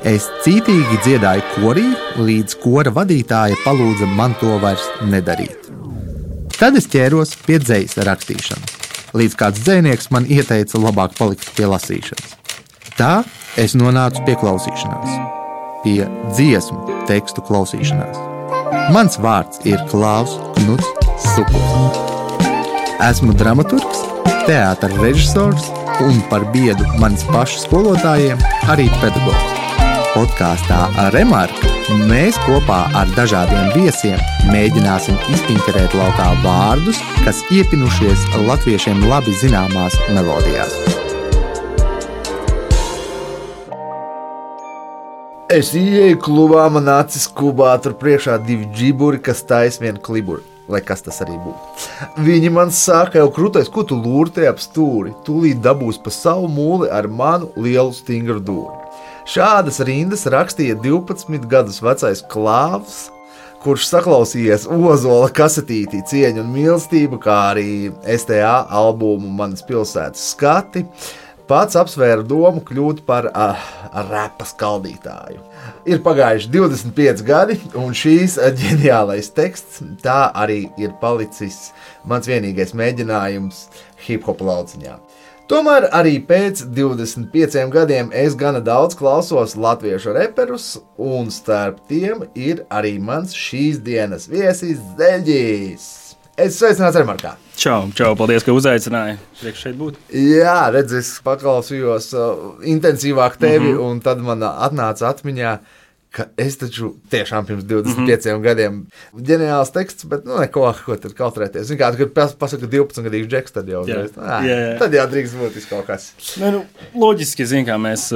Es cītīgi dziedāju korī, līdz kora vadītāja palūdza man to vairs nedarīt. Tad es ķēros pie dzejas rakstīšanas, līdz kāds dzejnieks man ieteica labāk palikt pie lasīšanas. Tā es nonācu pie klausīšanās, pie dziesmu tekstu klausīšanās. Mans vārds ir Klaus Knuts Sukuls. Esmu dramaturgs, teātra režisors un par biedu manis pašu skolotājiem arī pedagogs. Podkāstā Remarka mēs kopā ar dažādiem viesiem mēģināsim izpinterēt laukā vārdus, kas iepinušies latviešiem labi zināmās melodijās. Es ieeju klubā, man acis kubā, tur priekšā 2 džiburi, kas taisa vienu kliburi, lai kas tas arī būtu. Viņi man saka, jau krūtais, ko tu lūrti ap stūri, tūlīt dabūs pa savu mūli ar manu lielu stingru dūri. Šādas rindas rakstīja 12 gadus vecais Klāvs, kurš saklausījies Ozola kasetītī Cieņu un mīlestību, kā arī STA albumu Manas pilsētas skati, pats apsvēra domu kļūt par rapa skaldītāju. Ir pagājuši 25 gadi, un šīs ģeniālais teksts tā arī ir palicis mans vienīgais mēģinājums hip-hop lauciņā. Tomēr arī pēc 25 gadiem es gana daudz klausos latviešu reperus, un starp tiem ir arī mans šīs dienas viesis Zeļģis. Es sveicināts Remarkā. Čau, paldies, ka uzaicināji priekš šeit būt. Jā, redz, es paklausījos intensīvāk tevi, un tad man atnāca atmiņā, ka es taču tiešām pirms 25 gadiem ģeniāls teksts, bet neko, ko tad kautrēties. Zin kā, kad pasaka 12-gadīgs džeks, tad jau tad jau drīkst būt kaut kas. Loģiski, zin kā, mēs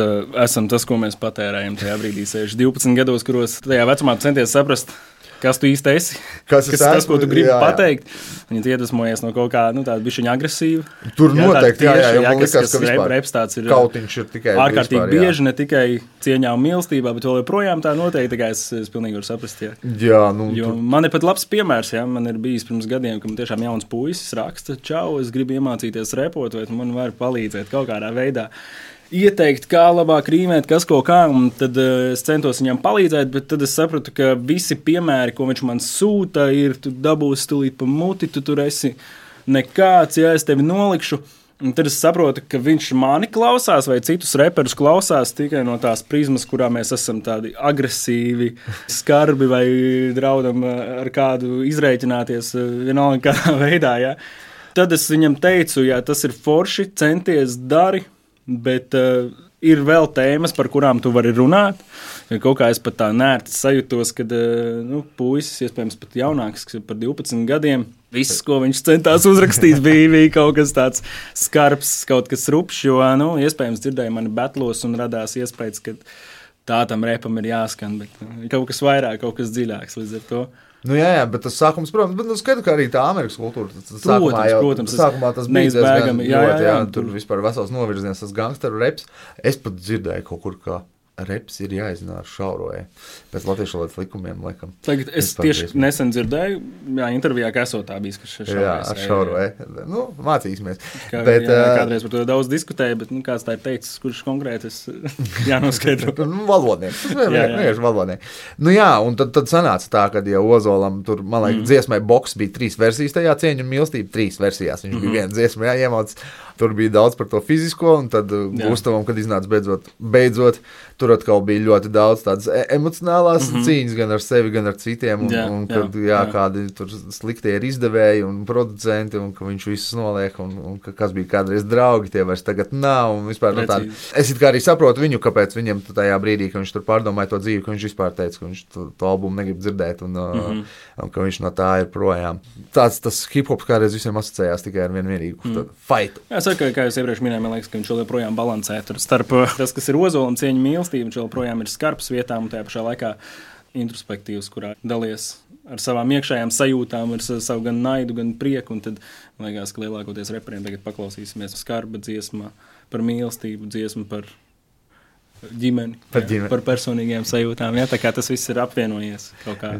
esam tas, ko mēs patērējam tajā brīdī 12 gados, kuros tajā vecumā centies saprast, kas tu īsti esi, kas tas, ko tu gribi pateikt. Viņi iedvesmojies no kaut kā tāda bišķiņa agresīva. Tur noteikti, man likās, ka vispār reps tāds ir kautiņš ir tikai ārkārtīgi bieži, ne tikai cieņā un mīlestībā, bet vēl joprojām tā noteikti, tā kā es pilnīgi varu saprast. Jā, jo man ir pat labs piemērs, man ir bijis pirms gadiem, ka man tiešām jauns puisis raksta, čau, es gribu iemācīties repot, vai tu man vari palīdzēt kaut kādā veidā. Ieteikt, kā labāk rīmēt, kas ko kā, un tad es centos viņam palīdzēt, bet tad es sapratu, ka visi piemēri, ko viņš man sūta, ir, tu dabūsi tūlīt pa muti, tu tur esi nekāds, ja es tevi nolikšu, un tad es saprotu, ka viņš mani klausās vai citus reperus klausās tikai no tās prizmas, kurā mēs esam tādi agresīvi, skarbi vai draudam ar kādu izrēķināties vienalga kādā veidā, ja. Tad es viņam teicu, jā, tas ir forši, centies dari, bet ir vēl tēmas, par kurām tu vari runāt. Kaut kā es pat tā nērti sajūtos, kad puisis, iespējams pat jaunāks par 12 gadiem, viss, ko viņš centās uzrakstīt, bija kaut kas tāds skarbs, kaut kas rupšs, jo, iespējams dzirdēja mani betlos un radās iespējas, ka tā tam repam ir jāskan, bet kaut kas vairāk, kaut kas dziļāks līdz ar to. Jā, bet tas sākums, protams, bet skaidrs, ka arī tā Amerikas kultūra. Sākumā tas bija diezgan ļoti, tur vispār vesels novirziens, tas gangsteru reps. Es pat dzirdēju kaut kur, ka reps ir jāiznāk šauroja pēc latviešu valodas likumiem, laikam. Tagad es tieši nesen dzirdēju, intervijā, ka esot tā bijis, ka šauroja. Mācīsimies. Kādreiz par to daudz diskutēju, bet kāds tā ir teicis, kurš konkrēti es jānoskaidro. Valodnieks. Vienkārši valodnieks. Un tad sanāca tā, kad jau Ozolam tur, man liekas, dziesmai boks bija 3 versijas tajā Cieņu un mīlestību, 3 versijās. Viņš bija viena dziesma jāiemauc. Tur bija daudz par to fizisko, un tad Gustavam, kad iznāca beidzot, tur atkal bija ļoti daudz tādas emocionālās cīņas gan ar sevi, gan ar citiem, un kad kādi tur sliktie ir izdevēji un producenti, un ka viņš visus noliek, un kas bija kādreiz draugi, tie vairs tagad nav, un vispār tādi. Es it kā arī saprotu viņu, kāpēc viņam tajā brīdī, ka viņš tur pārdomāja to dzīvi, ka viņš vispār teica, ka viņš to albumu negrib dzirdēt, un ka viņš no tā ir projām. Tas hip-hops kādreiz visiem asociējās tikai ar vienīgu fightu. Saka, kā jūs iepriekš minēju, man liekas, ka viņš vēl joprojām balansē starp tas, kas ir Ozolam Cieņu mīlestību, viņš joprojām ir skarbs vietām un tajā pašā laikā introspektīvs, kurā dalies ar savām iekšējām sajūtām, ar savu gan naidu, gan prieku, un tad, man liekas, ka lielākoties reperiem tagad paklausīsimies skarba dziesma par mīlestību, dziesma par ģimeni, par personīgiem sajūtām, tā kā tas viss ir apvienojies kaut kā.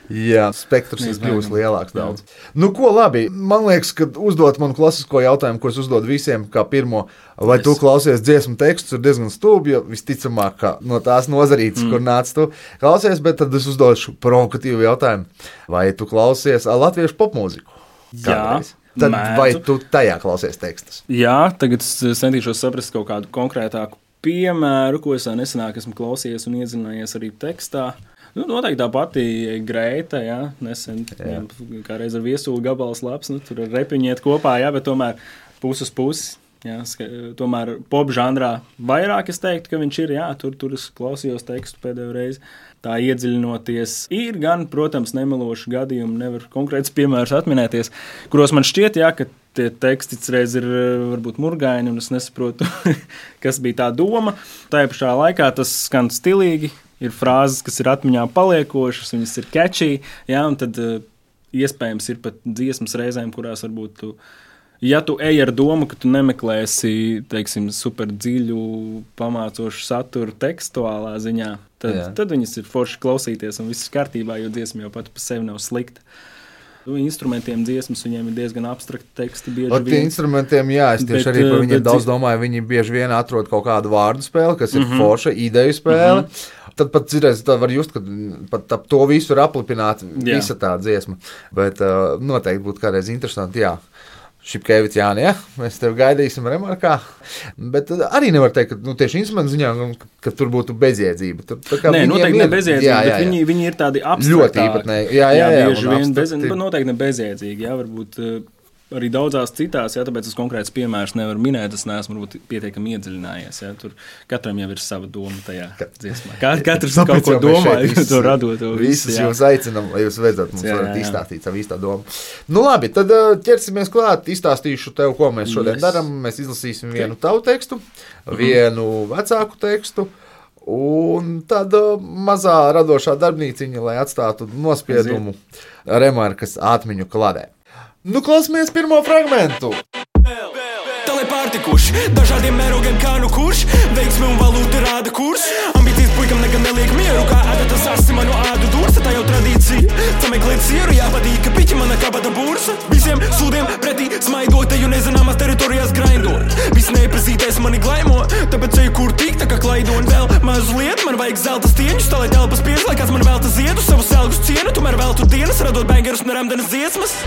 Jā, spektrs ir kļuvis lielāks daudz. Nu, ko labi, man liekas, ka uzdot manu klasisko jautājumu, ko es uzdodu visiem kā pirmo, vai tu klausies dziesmu tekstus, ir diezgan stulbi, jo visticamāk, ka no tās nozarītes, kur nāc tu klausies, bet tad es uzdošu provokatīvu jautājumu, vai tu klausies latviešu popmūziku? Kādreiz? Tad vai tu tajā klausies tekstus? Jā, tagad es centīšos saprast kaut kādu konkrētāku piemēru, ko es nesenāk esmu klausījies un iedzinājies arī tekstā. Nu, noteikti tā pati Greita, jā, nesen kādreiz ar viesulu gabals labs, nu, tur ar repiņiet kopā, jā, bet tomēr puses puses, jā, tomēr pop žanrā vairāk es teiktu, ka viņš ir, jā, tur es klausījos tekstu pēdējo reizi, tā iedziļinoties. Ir gan, protams, nemeloši gadījumi, nevar konkrēts piemērs atminēties, kuros man šķiet, jā, ka tie teksti reiz ir varbūt murgaini, un es nesaprotu, kas bija tā doma. Tajā pašā laikā tas skan stilīgi, ir frāzes, kas ir atmiņā paliekošas, viņas ir catchy, jā, un tad iespējams ir pat dziesmas reizēm, kurās varbūt tu, ja tu ej ar domu, ka tu nemeklēsi, teiksim, super dziļu, pamācošu saturu tekstuālā ziņā, tad viņas ir forši klausīties, un viss ir kārtībā, jo dziesma jau pati pa sevi nav slikta. Instrumentiem dziesmas, viņiem ir diezgan abstrakti teksti bieži vien. Tie instrumentiem, jā, es tieši arī par viņiem daudz domāju, viņi bieži vien atrod kaut kādu vārdu spēli, kas ir forša ideju spēle. Tad pat cirēs, tā var just, ka pat to visu ir aplipināt visa tā dziesma. Bet noteikti būtu kādreiz interesanti, jā. Šipkevits, Jāni, ja? Mēs tev gaidīsim remarkā. Bet arī nevar teikt, ka tieši instrumentu ziņā, ka tur būtu bezjēdzība. Nē, noteikti ne bezjēdzība, bet viņi ir tādi abstraktāki. Ļoti īpatnēji. Jā, bieži vien noteikti ne bezjēdzīgi, jā, varbūt arī daudzās citās, jā, tāpēc es konkrēts piemērs nevaru minēt, es neesmu varbūt pietiekami iedziļinājies, jā, tur katram jau ir sava doma tajā dziesmā. Katrs kaut ko domā, to radot to visu, jā. Jūs aicinam, lai jūs vedzat, mums varat izstāstīt savu īstā domu. Nu labi, tad ķersimies klāt, izstāstīšu tev, ko mēs šodien daram. Mēs izlasīsim vienu tavu tekstu, vienu vecāku tekstu, un tad mazā radošā darbnīciņa, lai atstātu nospiedumu remarkas atmiņu kladē. Nu, klausamies pirmo fragmentu. Tālai pārtikuši, dažādiem mērogiem kā nu kurš, veiksmi un valūti rāda kurs. Ambīcijas puikam nekad neliek mieru, kā adatas asi manu ādu dursa, tā jau tradīcija. Sameklēt sieru, jāpadīk, ka piķi mana kabata bursa. Visiem sūdiem pretī smaidot, teju nezināmās teritorijās graindot. Viss neiepazītais mani glaimo, tāpēc eju kur tik tā kā klaidon. Vēl mazliet, man vajag zelta stieņus, tā lai telpas pies, lai kāds man velta ziedu, savu selgus cienu, tomēr veltu dienas, radot bangerus un ramdenes dziesmas.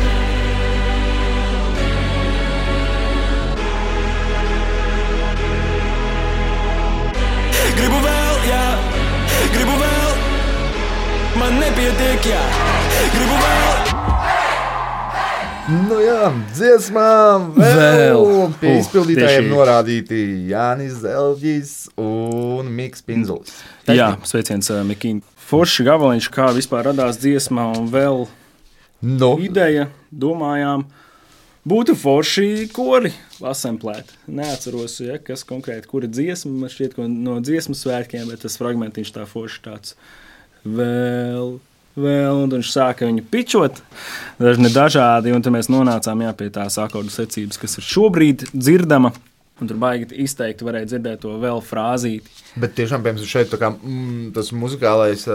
Gribu vēl, jā, gribu vēl, man nepietiek, jā, gribu vēl. Nu jā, dziesmā vēl pie izpildītājiem norādīti Jānis Zelģis un Miks Pinzulis. Jā, sveiciens Mikiņ. Forši gabaliņš, kā vispār radās dziesmā un vēl ideja, domājām, būtu forši kori asemplēt. Neatceros, ja, kas konkrēti, kura dziesma, man šķiet, no dziesmas svētkiem, bet tas fragmentiņš tā forši tāds vēl, un viņš sāka viņu pičot, dažādi, un tad mēs nonācām pie tās akordu secības, kas ir šobrīd dzirdama, un tur baigi izteikti varēja dzirdēt to vēl frāzīti. Bet tiešām, piemēram, šeit tā kā tas muzikālais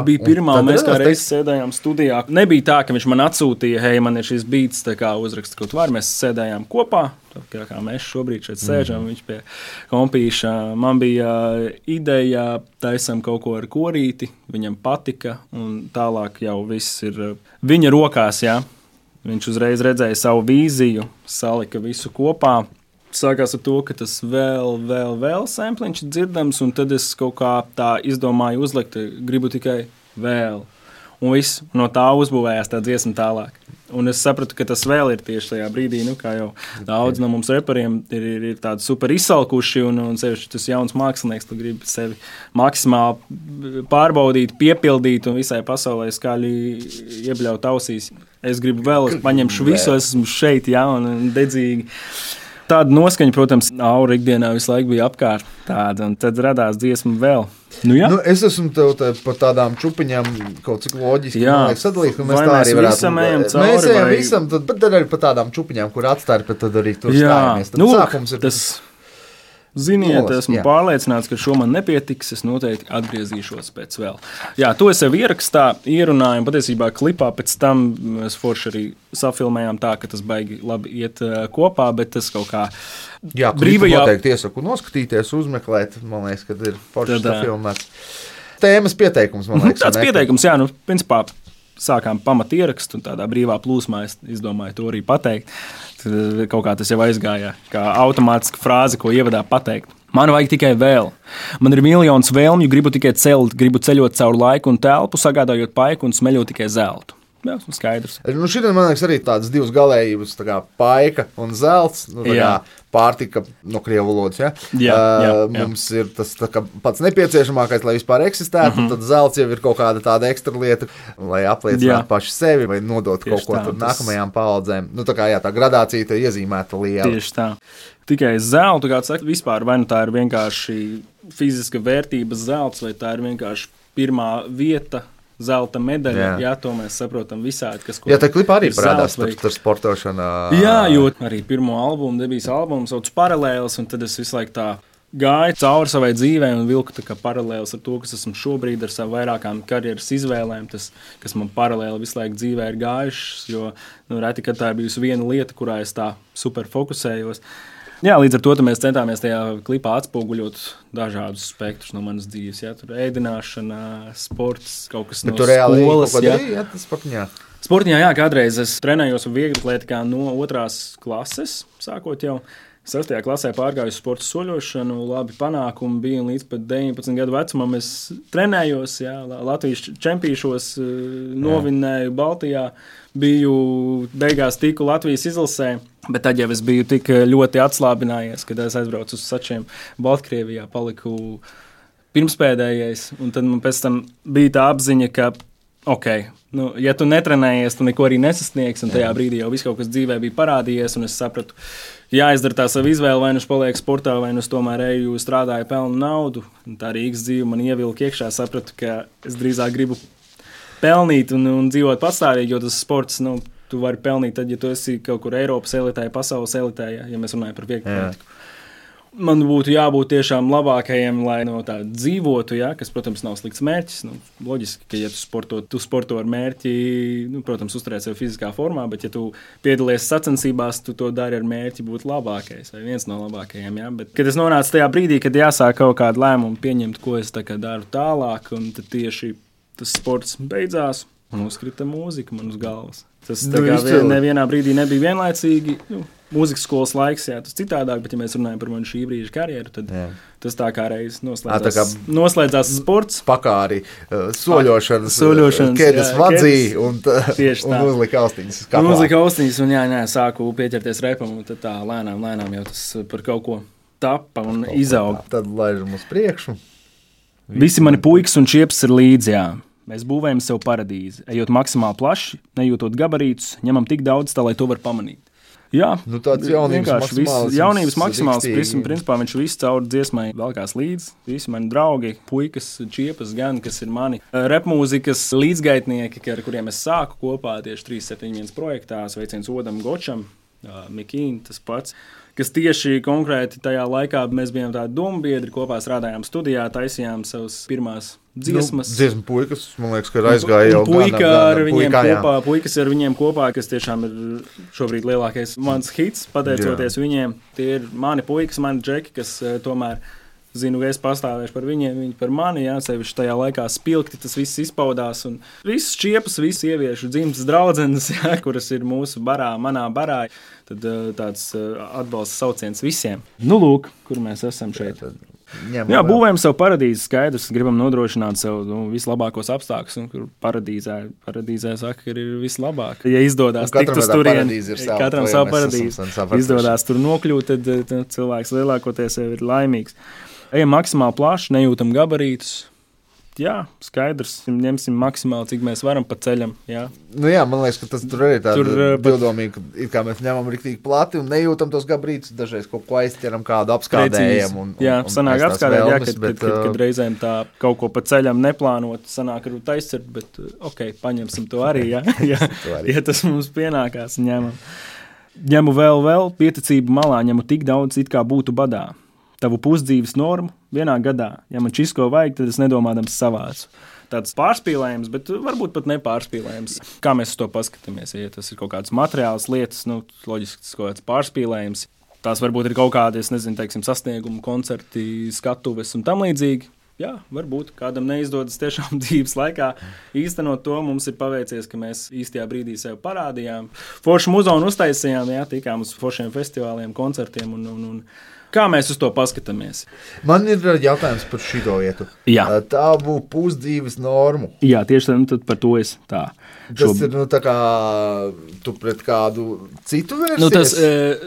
bija pirmā, un mēs kā reiz sēdējām studijā. Nebija tā, ka viņš man atsūtīja, hei, man ir šis beats, tā kā uzraksta kaut var, mēs sēdējām kopā, tā kā mēs šobrīd šeit sēžam, viņš pie kompīša. Man bija ideja, taisam kaut ko ar korīti, viņam patika, un tālāk jau viss ir viņa rokās, jā. Viņš uzreiz redzēja savu vīziju, salika visu kopā. Sākās ar to, ka tas vēl sampliņš dzirdams, un tad es kaut kā tā izdomāju uzlikt, gribu tikai vēl. Un viss no tā uzbūvējās tā dziesma tālāk. Un es sapratu, ka tas vēl ir tieši tajā brīdī, kā jau daudz no mums reperiem ir tādi super izsalkuši, un sevišķi tas jauns mākslinieks, tu gribi sevi maksimāli pārbaudīt, piepildīt un visai pasaulē skaļi iebļaut ausīs. Es gribu vēl, es paņemšu visu, esmu šeit, jā, un dedzīgi. Tāda noskaņa, protams, aura ikdienā visu laiku bija apkārt tāda, un tad radās dziesma vēl. Nu, jā. Nu, es esmu tev par tādām čupiņām kaut cik loģiski sadalīt, ka mēs tā arī varētu. Mēs ejam visam, tad arī par tādām čupiņām, kur atstarpe, tad arī tur stājamies. Tad sākums ir tas Ziniet, esmu pārliecināts, ka šo man nepietiks. Es noteikti atgriezīšos pēc vēl. Jā, to es jau ierakstā, ierunāju. Patiesībā klipā pēc tam mēs forši arī safilmējām tā, ka tas baigi labi iet kopā, bet tas kaut kā brīvajā. Noteikti iesaku noskatīties, uzmeklēt. Man liekas, ka ir forši safilmēts. Tēmas pieteikums, man liekas. Tāds pieteikums, jā, principā sākām pamat ierakstu un tādā brīvā plūsmā es izdomāju to arī pateikt. Kaut kā tas jau aizgāja, kā automātiska frāze, ko ievadā pateikt. Man vajag tikai vēl. Man ir miljons vēlmju, gribu tikai celt, gribu ceļot caur laiku un telpu, sagādājot paiku un smeļot tikai zeltu. Jā, skaidrs. Šodien, man liekas, arī tādas divas galējības, tā kā paika un zelts, pārtika no krievu valodas. Ja? Jā. Mums ir tas pats nepieciešamākais, lai vispār eksistētu, un tad zelts jau ir kaut kāda tāda ekstra lieta, lai apliecinātu paši sevi vai nodot kaut ko nākamajām paaudzēm. Tā gradācija te iezīmēta liela. Tieši tā. Tikai zeltu, kā saka, vispār vai nu tā ir vienkārši fiziska vērtības zelts, vai tā ir vienkārši pirmā vieta, zelta medaļa, jā, to mēs saprotam visādi, kas ko. Jā, tā klipā arī parādās par sportošanu. Jā, jo arī pirmo albumu, debijas albumu sauc Paralēls, un tad es visu laiku tā gāju cauri savai dzīvē un vilku tā kā paralēls ar to, kas esmu šobrīd ar savu vairākām karjeras izvēlēm, tas, kas man paralēli visu laiku dzīvē ir gājušas, jo reti, kad tā ir bijusi viena lieta, kurā es tā super fokusējos. Jā, līdz ar to mēs centāmies tajā klipā atspoguļot dažādus spektrus no manas dzīves. Jā, tur ēdināšana, sports, kaut kas no skolas. Sportiņā, jā, kādreiz es trenējos vieglatlētikā no 2. klases, sākot jau. 6. klasē pārgāju sporta soļošanu, labi panākumi bija, un līdz pat 19 gadu vecumam es trenējos, jā, Latvijas čempīšos, novinnēju Baltijā, biju beigās tiku Latvijas izlasē, bet tad jau es biju tik ļoti atslābinājies, kad es aizbraucu uz Sačiem Baltkrievijā, paliku pirmspēdējais, un tad man pēc tam bija tā apziņa, ka ja tu netrenējies, tu neko arī nesasniegsi, un tajā brīdī jau viss kaut kas dzīvē bija parādījies, un es sapratu, jāizdara tā savu izvēli, vai nu es palieku sportā, vai nu es tomēr eju, strādāju, pelnu naudu, un tā Rīgas dzīve man ievilka iekšā, sapratu, ka es drīzāk gribu pelnīt un dzīvot patstāvīgi, jo tas sports, tu vari pelnīt tad, ja tu esi kaut kur Eiropas elitē, pasaules elitē, ja mēs runājam par vieglatlētiku. Man būtu jābūt tiešām labākajiem, lai no tā dzīvotu, ja, kas, protams, nav slikts mērķis. Loģiski, ka, ja tu sporto ar mērķi, protams, uzturēt sevi fiziskā formā, bet, ja tu piedalies sacensībās, tu to dari ar mērķi būt labākais vai viens no labākajiem. Ja. Bet, kad es nonācu tajā brīdī, kad jāsāk kaut kādu lēmumu pieņemt, ko es daru tālāk, un tad tieši tas sports beidzās un uzkrita mūzika man uz galvas. Tas nevienā brīdī nebija vienlaicīgi. Mūzikas skolas laiks, jā, tas citādāk, bet ja mēs runājam par manu šī brīža karjeru, tad tas tā kā reiz noslēdzās sports. Pakāri, soļošanas ķēdes vadzī un uzlika austiņas. Uzlika austiņas un sāku pieķerties repam, un tad tā lēnām jau tas par kaut ko tapa un izauga. Tad laižam uz priekšu. Visi mani puikas un čiepas ir līdzi, jā. Mēs būvējam sev paradīzi, ejot maksimāli plaši, nejūtot gabarītus, ņemam tik daudz, tā lai to var pamanīt. Jā, tāds jaunības maksimāls principā viņš viss caur dziesmai velkās līdzi. Visi mani draugi, puikas, čiepas gan, kas ir mani repmūzikas līdzgaitnieki, ar kuriem es sāku kopā tieši 371 projektā, sveiciens Odam Gočam, Mikīn, tas pats, kas tieši konkrēti tajā laikā mēs bijām tādi dombiedri, kopā strādājām studijā, taisījām savas pirmās dziesmas. Dziesmu puikas, man liekas, ka aizgāja jau puikas ar viņiem kopā, kas tiešām ir šobrīd lielākais mans hits, pateicoties viņiem. Tie ir mani puikas, mani džeki, kas tomēr zinu, ka es pastāvēšu par viņiem, viņi par mani, jā, sevišķi tajā laikā spilgti tas viss izpaudās, un visas čiepas, visas ieviešu dzimtas draudzenes, jā, kuras ir mūsu barā, manā barā, tad tāds atbalsts sauciens visiem. Lūk, kur mēs esam šeit. Jā, būvējam sev paradīzi, skaidrs, gribam nodrošināt sev vislabākos apstākļus, un kur paradīzē saka, ka ir vislabāk. Ja izdodās tikt uz turieni, katram savu paradīzi, izdodās tur nokļūt, tad cilvēks lielākoties jau ir laimīgs. Ejam maksimāli plaši, nejūtam gabarītus. Jā, skaidrs, ņemsim maksimāli, cik mēs varam pa ceļam. Jā, man liekas, ka tas tur arī tāda divdomīga, kā mēs ņemam riktīgi plati un nejūtam tos gabarītus, dažreiz kaut ko aizķeram, kādu apskādējam. Sanāk apskādēt, kad reizēm tā kaut ko pa ceļam neplānot, sanāk ar aizcert, bet paņemsim to arī, ja tas mums pienākās, ņemam. Ņemu vēl, pieticību malā, ņemu tik daudz, it kā būtu badā. tavu pusdzīves normu vienā gadā. Ja man čisko vajag, tad es nedomādams savācu. Tāds pārspīlējums, bet varbūt pat nepārspīlējums. Kā mēs uz to paskatāmies? Ja tas ir kaut kādas materiālas lietas, loģiski tas kaut kāds pārspīlējums. Tās varbūt ir kaut kādi, teiksim, sasniegumu, koncerti, skatuves un tam līdzīgi. Jā, varbūt kādam neizdodas tiešām dzīves laikā īstenot to. Mums ir paveicies, ka mēs īstajā brīdī sev parādījām. Foršu muzonu uztaisījām, jā, tikām uz foršiem festivāliem, koncertiem un kā mēs uz to paskatāmies? Man ir jautājums par šito vietu. Jā. Tavu pusdzīves normu. Jā, tieši tad par to es tā. Tas ir tā kā tu pret kādu citu versies?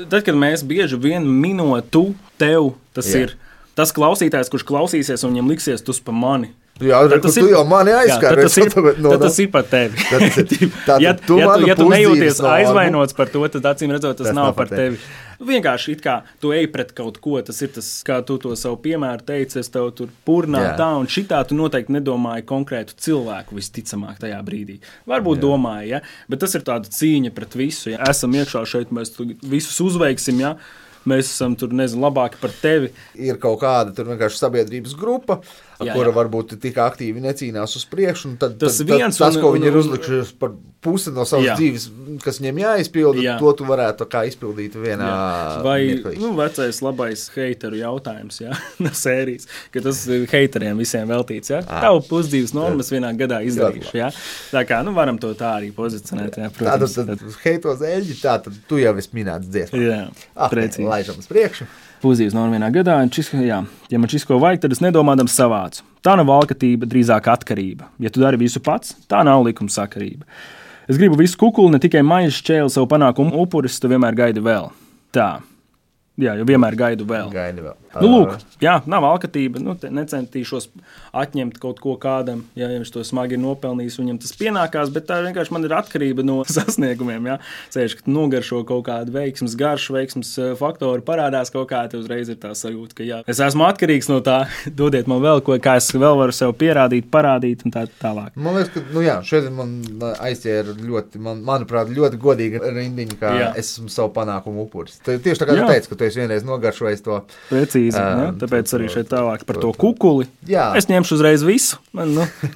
Tad, kad mēs bieži vien minotu tev, tas ir tas klausītājs, kurš klausīsies un viņam liksies tus pa mani. Jā, tu jau mani aizskāri. Tas ir par tevi. Ja tu nejūties aizvainots par to, tad acīm redzot, tas nav par tevi. Vienkārši it kā tu ej pret kaut ko, tas ir tas, kā tu to savu piemēru teici, es tev tur purnā tā un šitā tu noteikti nedomāji konkrētu cilvēku visticamāk tajā brīdī. Varbūt domāji, ja? Bet tas ir tāda cīņa pret visu. Ja? Esam iekšā šeit, mēs visus uzveiksim, ja? Mēs esam tur, labāki par tevi. Ir kaut kāda tur vienkārši sabiedrības grupa, kura varbūt tik aktīvi necīnās uz priekšu, un tad tas, ko viņi ir uzlikušies par pusi no savas dzīves, kas viņiem jāizpilda, to tu varētu kā izpildīt vienā mirklī. Vecais labais heiteru jautājums, no sērijas, ka tas heiteriem visiem veltīts, Tavu pusdzīves normas vienā gadā izdarīšu, Tā kā, varam to tā arī pozicionēt, protams. Tātad heito zēļģi, tad tu jau esi minēts dziesmā. Jā, precīzi. Laižam uz priekšu. Pusdzīves norma vienā gadā, ja man čisko vajag, tad es nedomādams savācu. Tā nav alkatība, drīzāk atkarība. Ja tu dari visu pats, tā nav likumsakarība. Es gribu visu kukuli, ne tikai maizi šķēli savu panākumu upuris, tu vienmēr gaidi vēl. Tā. Jā, jo vienmēr gaidu vēl. Lūk, nav alkatība, necentīšos atņemt kaut ko kādam, ja viņš to smagi ir nopelnījis, viņam tas pienākās, bet tā vienkārši man ir atkarība no sasniegumiem, Ceļš, ka tu nogaršo kaut kādu veiksmes garšu, veiksmes faktoru parādās kaut kā, te uzreiz ir tā sajūta, ka es esmu atkarīgs no tā, dodiet man vēl ko, kā es vēl varu sev pierādīt, parādīt un tā tālāk. Man liekas, ka, šeit man aizķēra ļoti, manuprāt, ļoti godīga rindiņa, kā es esmu savu panākumu upuris. Tieši tā kā tu teici, ka tu esi vienreiz nogaršojis to. Precīzi, tāpēc arī šeit tālāk par to kukuli. Es ņemšu uzreiz visu.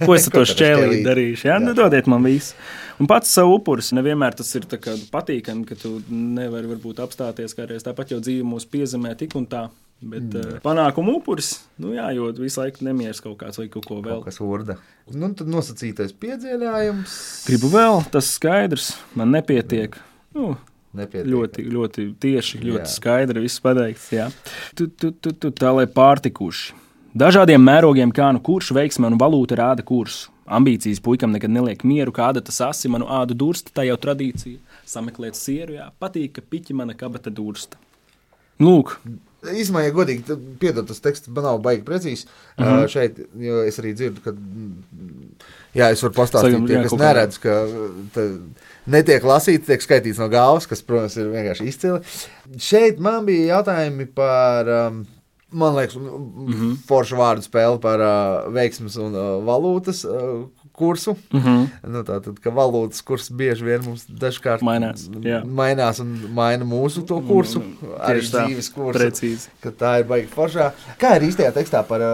Ko es ar to šķēlīt darīšu? Dodiet man visu. Un pats savu upuris. Nevienmēr tas ir patīkami, ka tu nevari varbūt apstāties kādreiz. Tāpat jau dzīve mūs piezemē tik un tā. Bet panākumu upuris, jo visu laiku nemieris kaut kāds vai kaut ko vēl. Kaut kas urda. Tad nosacītais piedziedājums. Gribu vēl, tas skaidrs. Man nepietiek. Ļoti, ļoti tieši, ļoti skaidri viss pateikts. Tā lai pārtikuši. Dažādiem mērogiem kā kurš veiksme un valūta rāda kursu. Ambīcijas puikam nekad neliek mieru, kāda tas asi manu ādu dursta, tā jau tradīcija. Sameklēt sieru, patīk, ka piķi mana kabata dursta. Lūk. Īsumā, ja godīgi, piedod, tas teksts man nav baigi precīzi. Šeit, jo es arī dzirdu, ka es varu pastāstīt tie, kas neredz, ka netiek lasīts, tiek skaitīts no galvas, kas, protams, ir vienkārši izcili. Šeit man bija jautājumi par, man liekas, foršu vārdu spēli par veiksmes un valūtas kursu. Tātad, ka valūtas kurs bieži vien mums dažkārt mainās un maina mūsu to kursu, arī dzīves kursu. Precīzi. Ka tā ir baigi foršā. Kā ir īstajā tekstā par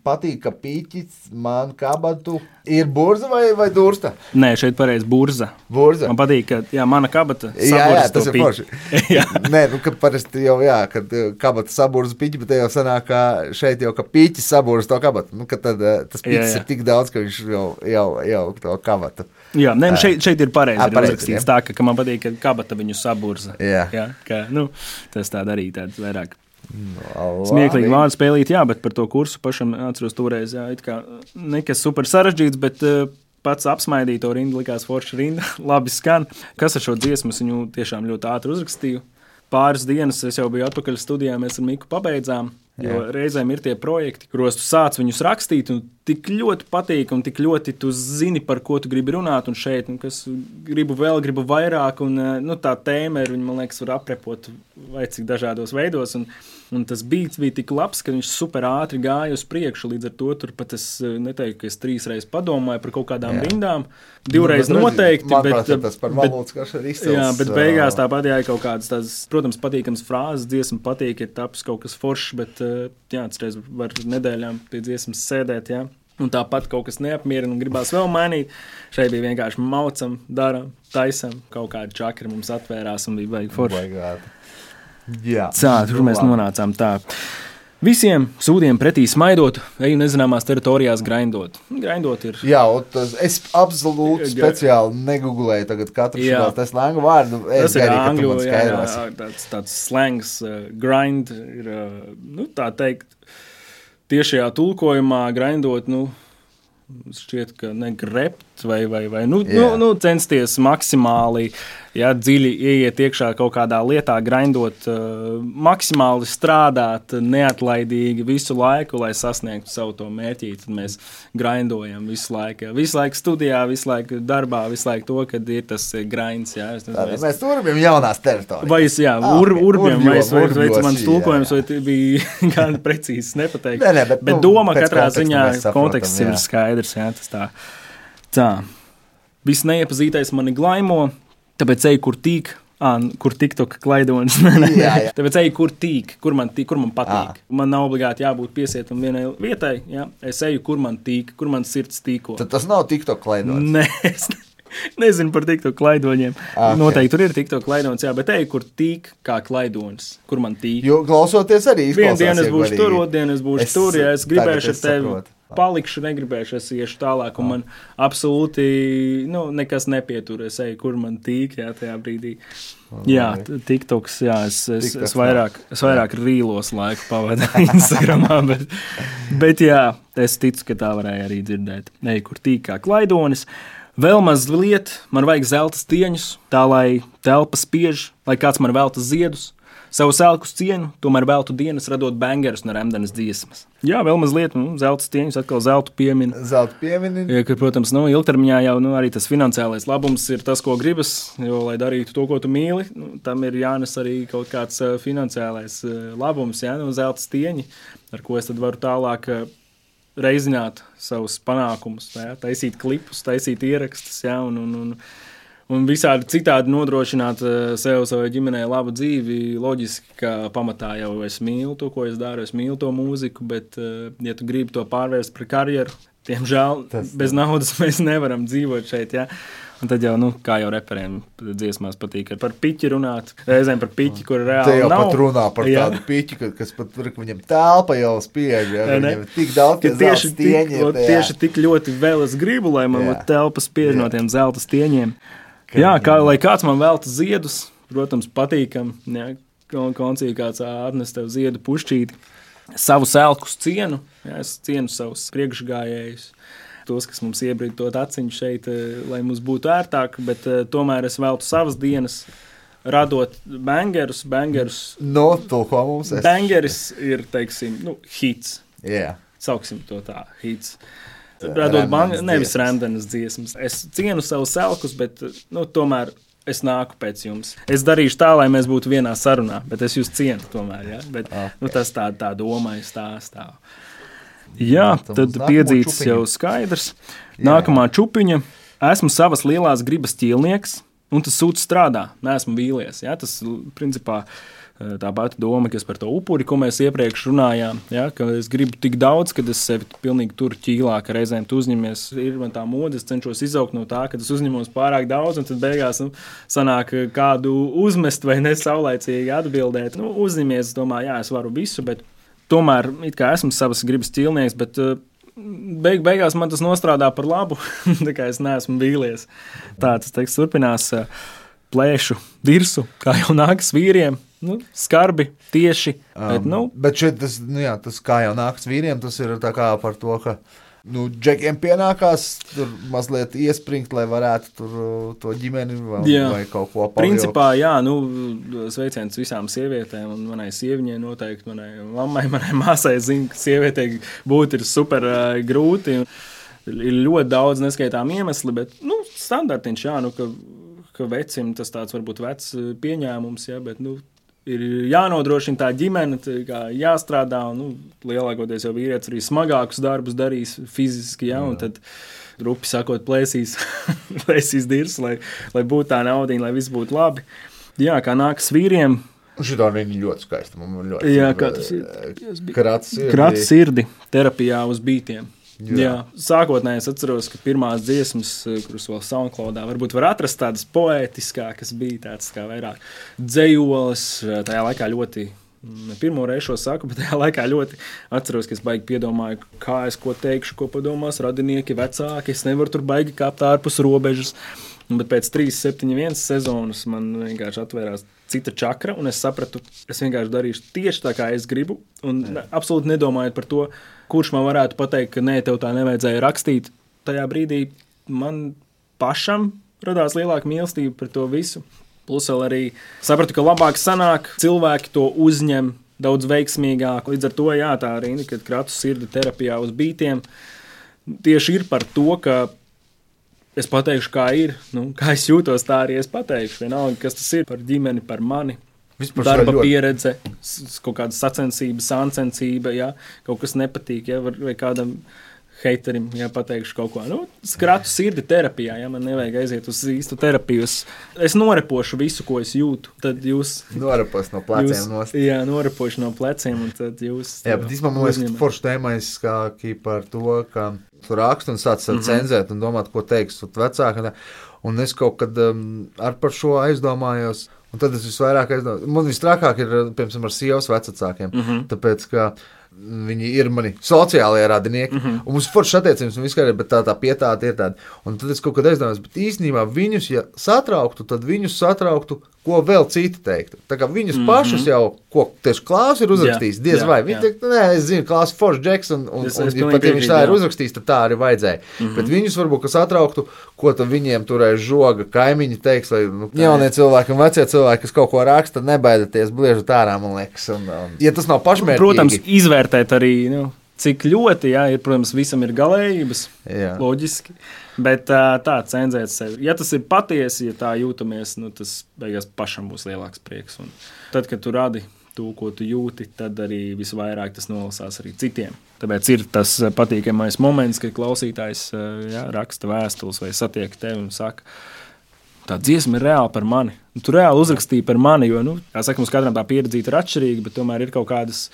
patīk, ka pīķis man kabatu ir burza vai dursta? Nē, šeit pareizi burza. Burza. Man patīk, ka mana kabata saburza to tas ir forši. Nē, ka parasti jau, kad kabata saburza piķi, bet jau sanāk, ka šeit jau, ka pīķis saburza to kabatu. Ka tad tas piķis ir tik daudz, ka viņš jau to kabatu. Jā, nē, šeit ir pareizi uzrakstīts tā, ka man patīk, ka kabata viņu saburza. Ka, tas tāda arī tāds vairāk. Smieklīgi vārdu spēlīt, bet par to kursu pašam atceros toreiz, it kā nekas super sarežģīts, bet pats apsmaidīja to rindu, likās forša rinda, labi skan. Kas ar šo dziesmu, viņu tiešām ļoti ātri uzrakstīju. Pāris dienas es jau biju atpakaļ studijā, mēs ar Miku pabeidzām, jo reizēm ir tie projekti, kuros tu sāc viņus rakstīt, un tik ļoti patīk, un tik ļoti tu zini, par ko tu gribi runāt, un šeit, kas gribu vairāk, un tā tēma ir, man liekas, var aprepot vai cik dažādos veidos, un Un tas beats bija tik labs, ka viņš super ātri gāja uz priekšu. Līdz ar to tur pat es neteiktu, ka es 3 reizes padomāju par kaut kādām rindām. 2 reizes noteikti. Manuprāt, tas par valūtas karš ir izcils. Jā, bet beigās tāpat jāja kaut kādas tās, protams, patīkams frāzes, dziesma patīk, ir taps kaut kas foršs, bet jā, atceries var nedēļām pie dziesmas sēdēt, jā. Un tāpat kaut kas neapmierina un gribās vēl mainīt. Šeit bija vienkārši maucam, daram, taisam, kaut kādi čakri mums atvērās un bija baigi forši. Jā, tur mēs nonācām tā. Visiem sūdiem pretī smaidot, eju nezināmās teritorijās grindot. Grindot ir... Jā, es absolūti speciāli negooglēju tagad katru šo tā slangu vārdu. Tas ir angļu, tāds slangs, grind ir, tā teikt, tiešajā tulkojumā grindot, šķiet, ka ne grept vai censties maksimāli, dziļi ieiet iekšā kaut kādā lietā, grindot, maksimāli strādāt, neatlaidīgi visu laiku, lai sasniegtu savu to mērķi. Tad mēs grindojam visu laiku. Visu laiku studijā, visu laiku darbā, visu laiku to, kad ir tas grinds. Mēs urbjam jaunās teritorijas. Vai urbjam, vai mans tulkojums, vai bija gan precīzi nepateikt. Bet doma katrā ziņā konteksts ir skaidrs. Jā, tas tā. Viss neiepazītais mani glaimo, tāpēc eju, kur tīk, kur TikTok klaidonis. Tāpēc eju, kur tīk, kur man patīk. Man nav obligāti jābūt piesietam vienai vietai. Jā. Es eju, kur man tīk, kur man sirds tīko. Tad tas nav TikTok klaidonis? Nē, es nezinu par TikTok klaidoņiem. Noteikti tur ir TikTok klaidonis, jā, bet eju, kur tīk kā klaidonis, kur man tīk. Jo klausoties arī izklausās. Vienu dienu es būšu tur, otru es būšu tur, ja es gribēšu ar tevi. Palikšu, negribēšu, es iešu tālāk, un man absolūti nekas nepietur. Es eju, kur man tīk, jā, tajā brīdī. Jā, TikToks, jā, es vairāk rīlos laiku pavadu Instagramā, bet jā, es ticu, ka tā varēja arī dzirdēt. Eju, kur tīk kā klaidonis. Vēl mazliet, man vajag zelta stieņus, tā lai telpa spiež, lai kāds man velta ziedus. Savu selkus cienu, tomēr veltu dienas radot bangerus no Remdenes dziesmas. Jā, vēl mazliet, zelta stieņus, atkal zeltu piemina. Zeltu piemina. Ja, ka, protams, ilgtermiņā jau arī tas finansiālais labums ir tas, ko gribas, jo, lai darītu to, ko tu mīli, tam ir jānes arī kaut kāds finansiālais labums, jā, zelta stieņi, ar ko es tad varu tālāk reizināt savus panākumus, jā, taisīt klipus, taisīt ierakstus, jā, un visādi citādi nodrošināt sev, savai ģimenei labu dzīvi. Loģiski, ka pamatā jau es mīlu to, ko es daru, es mīlu to mūziku, bet, ja tu gribi to pārvērst par karjeru, tiemžēl bez naudas mēs nevaram dzīvot šeit, ja? Un tad jau, kā jau reperiem dziesmās patīk par piķi runāt, reizēm par piķi, kur reāli nav. Te jau pat runā par tādu piķi, kas pat viņam telpa jau spiež, ja? Viņam tik daudz zelta stieņi. Tieši tik ļoti vēl es gribu, lai man telpa spiež no tiem zelta stieņiem. Jā, lai kāds man velta ziedus, protams, patīkam, ja, koncī kāds atnes tev ziedu pušķīti, savu selkus cienu, ja, es cienu savus priekšgājējus, tos, kas mums iebrīdot aciņu šeit, lai mums būtu ērtāk, bet tomēr es veltu savas dienas, radot bangerus. Tulko mums es. Bangeris ir, teiksim, hits. Yeah. Sauksim to tā, hits. Nevis Remdenes dziesmas. Es cienu savus selkus, bet tomēr es nāku pēc jums. Es darīšu tā, lai mēs būtu vienā sarunā, bet es jūs cienu tomēr. Ja? Bet, tas tā doma ir stāv. Jā, tad piedzīts jau skaidrs. Nākamā čupiņa. Esmu savas lielās gribas ķīlnieks, un tas sūds strādā. Neesmu vīlies. Ja? Tas, principā, tā pati doma, kas par to upuri, ko mēs iepriekš runājām, ja, ka es gribu tik daudz, kad es sevi pilnīgi tur ķīlā, ka reizēm tu uzņemies, ir man tā mode, es cenšos izaugt no tā, ka es uzņemos pārāk daudz, un tad beigās sanāk kādu uzmest vai nesaulaicīgi atbildēt. Uzņemies, domāju, jā, es varu visu, bet tomēr it kā esmu savas gribas ķīlnieks, bet beigās man tas nostrādā par labu, tā kā es neesmu vīlies. Tā tas teksts turpinās, plēšu dirsu, kā jau nākas vīriem, skarbi, tieši. Bet šeit tas kā jau nākas vīriem, tas ir tā kā par to, ka džekiem pienākās tur mazliet iespringt, lai varētu tur to ģimeni vai kaut ko pavilkt. Principā, jā, sveiciens visām sievietēm un manai sieviņai noteikti, manai mammai, manai māsai zinu, ka sievietei būt ir super grūti. Ir ļoti daudz neskaitām iemesli, bet, standartiņš, jā, ka vecim tas tāds varbūt vecs pieņēmums, jā, bet, ir jānodrošina tā ģimene, jāstrādā, un lielākoties jau vīrietis arī smagākus darbus darīs fiziski, un tad rupi sakot plēsīs dirs, lai būtu tā naudiņa, lai viss būtu labi. Jā, kā nākas vīriem. Šitā viņa ļoti skaista. Ļoti jā, kā tas ir. Krats sirdi terapijā uz bītiem. Jā. Sākotnēji es atceros, ka pirmās dziesmas, kuras vēl SoundCloudā, varbūt var atrast tādas poētiskākas, bija tāds kā vairāk dzejoles, tajā laikā ļoti, pirmo reizi šo saku, bet tajā laikā ļoti atceros, ka es baigi piedomāju, kā es ko teikšu, ko padomās radinieki, vecāki, es nevaru tur baigi kāpt ārpus robežas, bet pēc 3-7-1 sezonas man vienkārši atvērās cita čakra, un es sapratu, es vienkārši darīšu tieši tā, kā es gribu, un absolūti nedomājot par to, kurš man varētu pateikt, ka nē, tev tā nevajadzēja rakstīt. Tajā brīdī man pašam radās lielāka mīlestība par to visu. Plus vēl arī sapratu, ka labāk sanāk, cilvēki to uzņem daudz veiksmīgāk. Līdz ar to, jā, tā rinda, kad kratu sirdi terapijā uz bītiem, tieši ir par to, ka es pateikšu, kā ir, kā es jūtos, tā arī es pateikšu. Vienalga, kas tas ir par ģimeni, par mani. Darba pieredze, kaut kāda sacensība, sāncensība, ja, kaut kas nepatīk, ja, vai kādam heiterim, ja pateikšu kaut ko. Kratu sirdi terapijā, ja, man nevajag aiziet uz īstu terapiju. Es norepošu visu, ko es jūtu. Tad jūs... Norepos no pleciem nost. Jā, norepošu no pleciem, un tad jūs... Jā, bet īstenībā man liekas, ka forši tēmais kā par to, ka tu raksti un sāc cenzēt un domāt, ko teiks vecāki. Un es kaut kad ar par šo aizdomājos. Un tad es visvairāk aizdomāju. Man vistrākāk ir, piemēram, ar sievas vecākiem, tāpēc, ka viņi ir mani sociālie radinieki, un mums foršas attiecības, un viskaidri, bet tā pietāta ir tāda. Un tad es kaut kad aizdomājos, bet īstenībā viņus, ja satrauktu, tad viņus satrauktu, ko vēl citi teiktu. Tā kā viņus pašus jau, ko tieši Klāvs ir uzrakstījis, diez vai. Viņi teikt, nē, es zinu, Klāvs foršs džeks, un pat ja viņš tā ir uzrakstījis, tad tā arī vajadzēja. Bet viņus varbūt, ka satrauktu, ko tad viņiem turēs žoga kaimiņi teiks, vai jaunie cilvēki un vecie cilvēki, kas kaut ko raksta, nebaidieties, bliežat ārā, man liekas. Ja tas nav pašmērķīgi. Protams, izvērtēt arī, cik ļoti, jā, ir, protams, visam ir galējības, loģiski, bet tā cenzēt sevi. Ja tas ir patiesi, ja tā jūtamies, tas beigās pašam būs lielāks prieks. Un tad, kad tu radi to, ko tu jūti, tad arī visvairāk tas nolasās arī citiem. Tāpēc ir tas patīkamais moments, kad klausītājs raksta vēstules vai satiek tevi un saka, tā dziesma ir reāli par mani. Tu reāli uzrakstīji par mani, jo, kā saka, mums katram tā pieredzīta ir atšķirīga, bet tomēr ir kaut kādas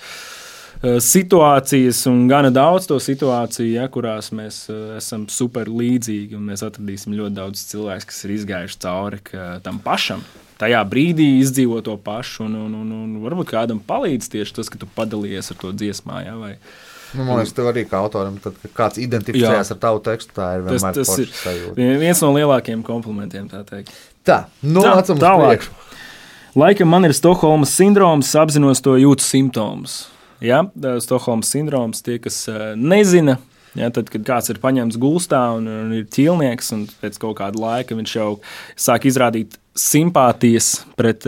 situācijas un gana daudz to situāciju, kurās mēs esam super līdzīgi, un mēs atradīsim ļoti daudz cilvēks, kas ir izgājuši cauri tam pašam. Tajā brīdī izdzīvo to pašu, un varbūt kādam palīdz tieši tas, ka tu padalījies ar to dziesmā, vai... Man liekas, tev arī kā autoram, tad, kad kāds identificējās ar tavu tekstu, tā ir vienmēr forša sajūta. Tas ir viens no lielākiem komplimentiem, tā teikt. Tā, nācam uz priekšu. Laikam man ir Stokholmas sindroms, apzinos to jūtu simptomus. Ja? Stokholmas sindroms, tie, kas nezina, ja, tad, kad kāds ir paņemts gulstā un ir ķīlnieks, un pēc kaut kāda laika viņš jau sāk izrādīt simpātijas pret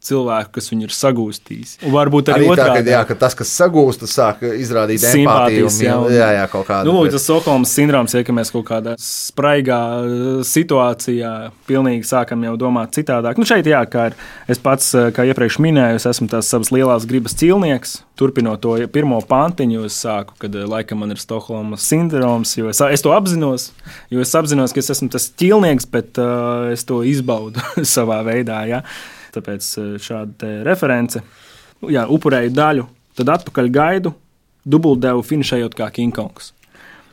cilvēku, kas viņu ir sagūstījis. Un varbūt arī otrādi. Ka tas, kas sagūst, sāk izrādīt empātiju. Jā, kaut kādu. Tas Stokholmas sindroms, ka mēs kaut kādā spraigā situācijā pilnīgi sākam jau domāt citādāk. Šeit, kā ir, es pats, kā iepriekš minēju, es esmu tās savas lielās gribas cilnieks. Turpinot to pirmo pantiņu, es sāku, kad laikam man ir Stokholmas sindroms, jo es to apzinos, ka es esmu tas ķilnieks, bet es to izbaudu savā veidā, Tāpēc šāda reference. Upurēju daļu, tad atpakaļ gaidu, dubultdevu finišējot kā King Kongs.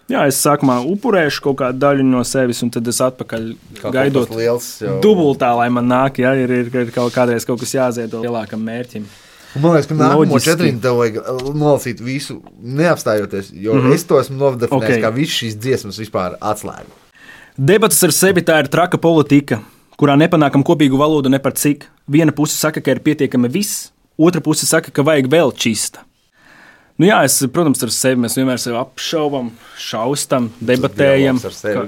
Es sākumā upurēšu kaut kādu daļu no sevis, un tad es atpakaļ gaidot dubultā, lai man nāk, ir kādreiz kaut kas jāziedo lielākam mērķim. Man liekas, ka nākamo 4 tev vajag nolasīt visu, neapstājoties, jo es to esmu nodefinējis, kā visu šīs dziesmas vispār atslēgu. Debatas ar sevi tā ir traka politika, kurā nepanākam kopīgu valodu ne par cik. Viena puse saka, ka ir pietiekami viss, otra puse saka, ka vajag vēl čista. Protams, ar sevi mēs vienmēr sevi apšaubam, šaustam, debatējam,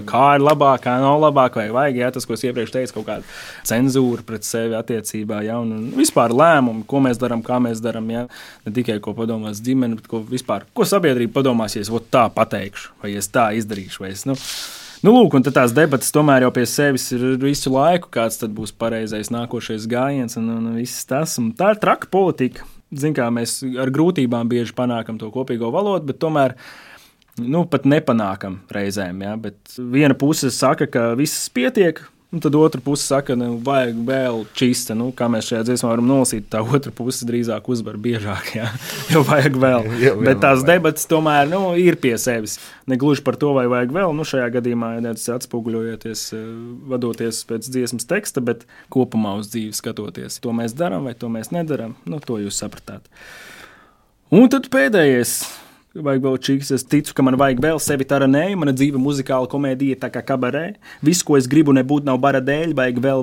kā ir labāk, kā nav labāk, vai vajag, tas, ko es iepriekš teicu, kaut kāda cenzūra pret sevi attiecībā, un vispār lēmumu, ko mēs darām, kā mēs darām, ne tikai ko padomās ģimene, bet ko sabiedrība padomās, ja es tā pateikšu, vai es tā izdarīšu, vai es, Nu, lūk, un tad tās debatas tomēr jau pie sevis ir visu laiku, kāds tad būs pareizais nākošais gājiens un viss tas. Un tā ir traka politika. Zin kā, mēs ar grūtībām bieži panākam to kopīgo valodu, bet tomēr pat nepanākam reizēm. Ja? Bet viena puse saka, ka viss pietiek, un tad otra puse saka, ka vajag vēl čista. Kā mēs šajā dziesmā varam nolasīt, tā otra puse drīzāk uzvar biežāk, ja? Jo vajag vēl. Bet tās debatas tomēr ir pie sevis. Ne gluži par to, vai vajag vēl. Šajā gadījumā tas atspoguļojoties, vadoties pēc dziesmas teksta, bet kopumā uz dzīvi skatoties. To mēs darām vai to mēs nedarām, to jūs sapratāt. Un tad pēdējais. Vajag vēl čiks. Es ticu, ka man vajag vēl sevi taranēju. Mana dzīve muzikāla komēdija tā kā kabarē. Viss, ko es gribu nebūt, nav bara dēļ. Vajag vēl.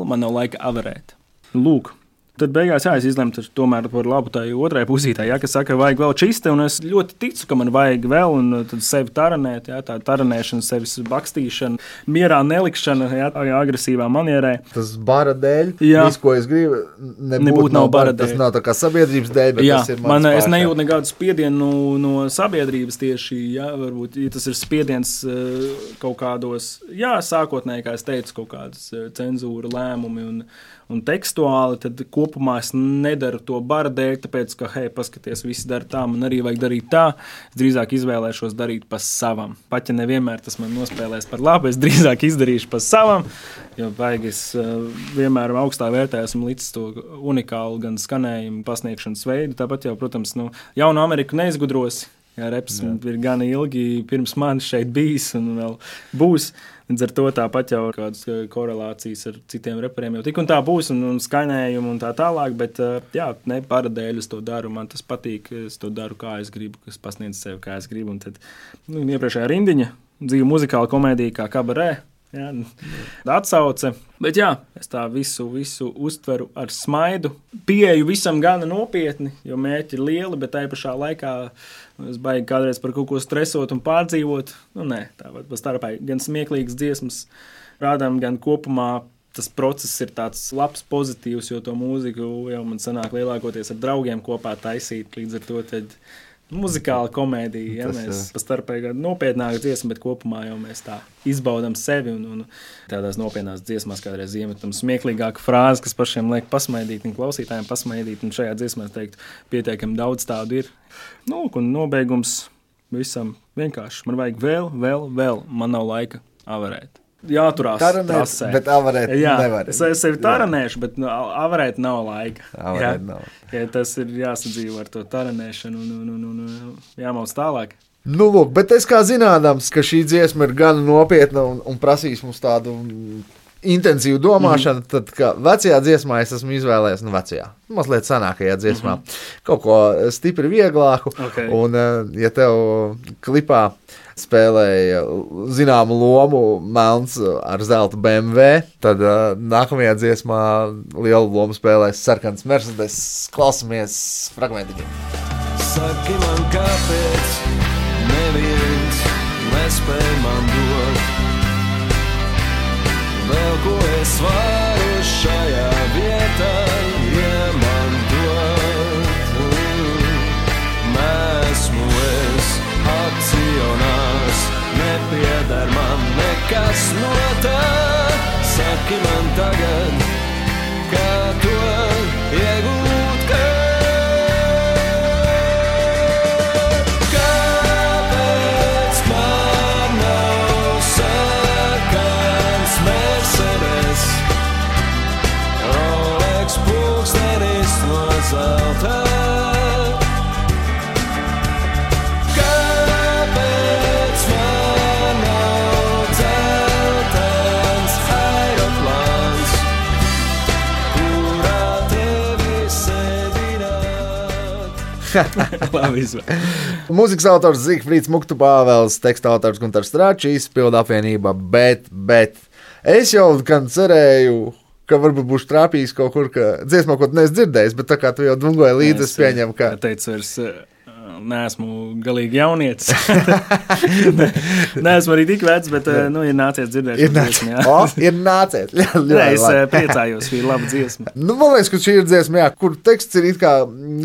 Man nav laika avarēt. Lūk. Tad beigās es izlemtu tomēr par labu tai otrai pusītē, kas saka, vajag vēl čiste, un es ļoti ticu, ka man vajag vēl, un tad sevi taranēt, tā taranēšana, sevis bakstīšana, mierā nelikšana, agresīvā manierē. Tas bara dēļ, viss, ko es gribu, nebūt nav bara dēļ. Tas nav tā kā sabiedrības dēļ, bet tas ir mans pārkā. Es nejūtu nekādu spiedienu no sabiedrības tieši, varbūt, ja tas ir spiediens kaut kādos, sākotnēji, kā es teicu, kaut kādas cenzūra lēmumi un tekstuāli, tad kopumā es nedaru to bara dēļ, tāpēc, ka, paskaties, visi dara tā, man arī vajag darīt tā. Es drīzāk izvēlēšos darīt pa savam. Pat ja nevienmēr tas man nospēlēs par labu, es drīzāk izdarīšu pa savam, jo vajag es vienmēr augstā vērtē esmu līdz to unikālu gan skanējumu pasniegšanas veidu. Tāpat jau, protams, jaunu Ameriku neizgudrosi. Reps ir gan ilgi pirms manis šeit bijis un vēl būs. Līdz ar to tāpat jau kādas korelācijas ar citiem reperiem jau tik un tā būs un skaņējumu un tā tālāk, bet ne bara dēļ es to daru, man tas patīk, es to daru kā es gribu, es pasniedzu sevi kā es gribu. Un tad iepriekšējā rindiņa, dzīve muzikāla komēdija kā kabarē, atsauce. Bet es tā visu uztveru ar smaidu. Pieeju visam gana nopietni, jo mērķi ir lieli, bet tajā pašā laikā es baigi kādreiz par kaut ko stresot un pārdzīvot. Tā var starpā gan smieklīgas dziesmas rādām, gan kopumā tas process ir tāds labs, pozitīvs, jo to mūziku jau man sanāk lielākoties ar draugiem kopā taisīt. Līdz ar to tad muzikāla komēdija, mēs pastarpēji nopietnāk dziesma, bet kopumā jau mēs tā izbaudam sevi un tādās nopietnās dziesmās kādreiz iemetam smieklīgāku frāzi, kas pašiem liek pasmaidīt un klausītājiem pasmaidīt, un šajā dziesmā, es teiktu, pietiekami daudz tādu ir. Un nobeigums visam vienkārši. Man vajag vēl, man nav laika avarēt. Jāturās trasē. Bet avarēt nevar. Es sevi taranēšu, bet avarēt nav laika. Tas ir jāsadzīvo ar to taranēšanu un jāmauc tālāk. Lūk, bet es kā zinādams, ka šī dziesma ir gan nopietna un prasīs mums tādu intensīvu domāšanu, tad kā vecajā dziesmā es esmu izvēlējies, mazliet senākajā dziesmā, kaut ko stipri vieglāku. Okay. Un, ja tev klipā spēlēja zināmu lomu melns ar zelta BMW, tad nākamajā dziesmā lielu lomu spēlēs sarkans Mercedes. Klausamies fragmentiņu. Saki man, kāpēc neviens nespēj man dot vēl, ko es varu šajā vietā iemantot. Nesmu es akcionārs, nepiedar man nekas no tā. Saki man tagad, kā to iegūt, kāpēc man nav sarkans Mercedes, Rolex pulkstenis no zelta. Mūzikas autors Zigfrīds Muktu Pāvels, teksta autors Guntars Strāčīs, pilda apvienība, bet es jau gan cerēju, ka varbūt būšu trāpījis kaut kur, ka dziesmā, ko tu neesi dzirdējis, bet tā kā tu jau dungoji līdzi, es pieņemu, ka... Teicu, vairs neesmu galīgi jaunietis. Neesmu arī tik vecs, bet ir nācies dzirdēt. Ir nācies. Nē, es priecājos, šī ir laba dziesma. Man liekas, ka šī ir dziesma, kur teksts ir it kā